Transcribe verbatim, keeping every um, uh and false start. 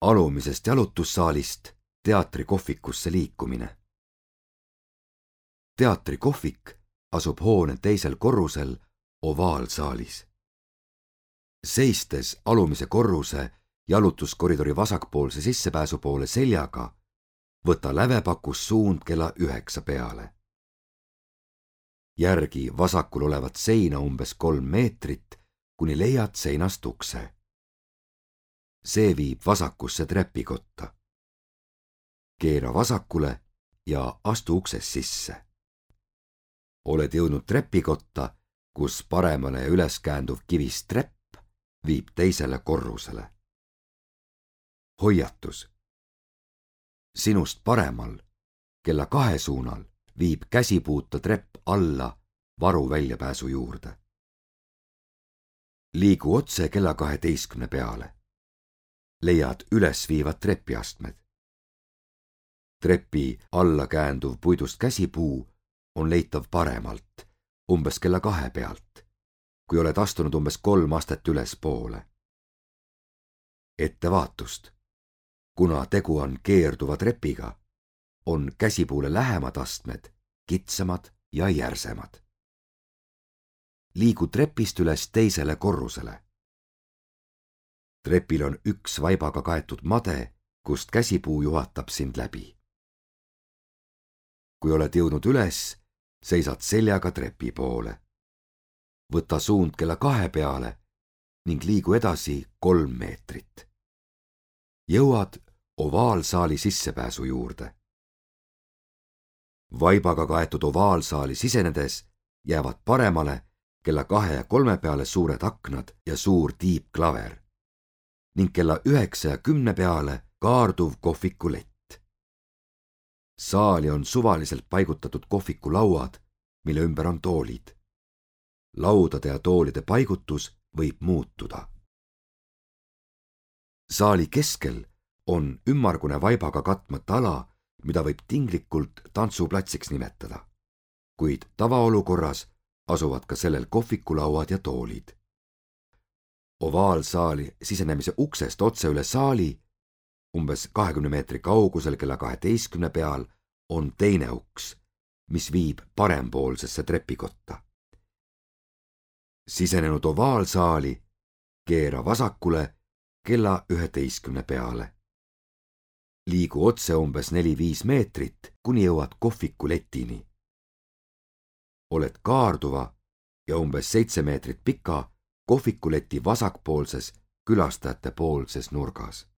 Alumisest jalutussaalist teatrikohvikusse liikumine. Teatrikohvik asub hoone teisel korrusel ovaalsaalis. Seistes alumise korruse jalutuskoridori vasakpoolse sissepääsu poole seljaga, võta lävepakus suund kella üheksa peale. Järgi vasakul olevat seina umbes kolm meetrit, kuni leiad seinast ukse. See viib vasakusse trepikotta. Keera vasakule ja astu uksest sisse. Oled jõudnud trepikotta, kus paremale ja üles käänduv kivist trepp viib teisele korrusele. Hoiatus. Sinust paremal, kella kahe suunal, viib käsipuuta trepp alla varu väljapääsu juurde. Liigu otse kella kaheteistkümne peale. Leiad üles viivad trepiastmed. Trepi alla käänduv puidust käsipuu on leitav paremalt, umbes kella kahe pealt, kui oled astunud umbes kolm astet ülespoole. Ettevaatust. Kuna tegu on keerduva trepiga, on käsipuule lähemad astmed kitsamad ja järsemad. Liigu trepist üles teisele korrusele. Trepil on üks vaibaga kaetud made, kust käsipuu juhatab sind läbi. Kui oled jõudnud üles, seisad seljaga trepi poole. Võta suund kella kahe peale ning liigu edasi kolm meetrit. Jõuad ovaalsaali sissepääsu juurde. Vaibaga kaetud ovaalsaali sisenedes jäävad paremale kella kahe ja kolme peale suured aknad ja suur tiibklaver ning kella üheksa ja kümne peale kaarduv kohvikulett. Saali on suvaliselt paigutatud kohvikulauad, mille ümber on toolid. Laudade ja toolide paigutus võib muutuda. Saali keskel on ümmargune vaibaga katmata ala, mida võib tinglikult tantsuplatsiks nimetada, kuid tavaolukorras asuvad ka sellel kohvikulauad ja toolid. Ovaalsaali sisenemise uksest otse üle saali, umbes kahekümne meetri kaugusel kella kaheteistkümne peal, on teine uks, mis viib parempoolsesse trepikotta. Sisenenud ovaalsaali, keera vasakule kella üheteistkümne peale. Liigu otse umbes neli-viis meetrit, kuni jõuad kohvikuletini. Oled kaarduva ja umbes seitse meetrit pika kohvikuleti vasakpoolses külastajate poolses nurgas.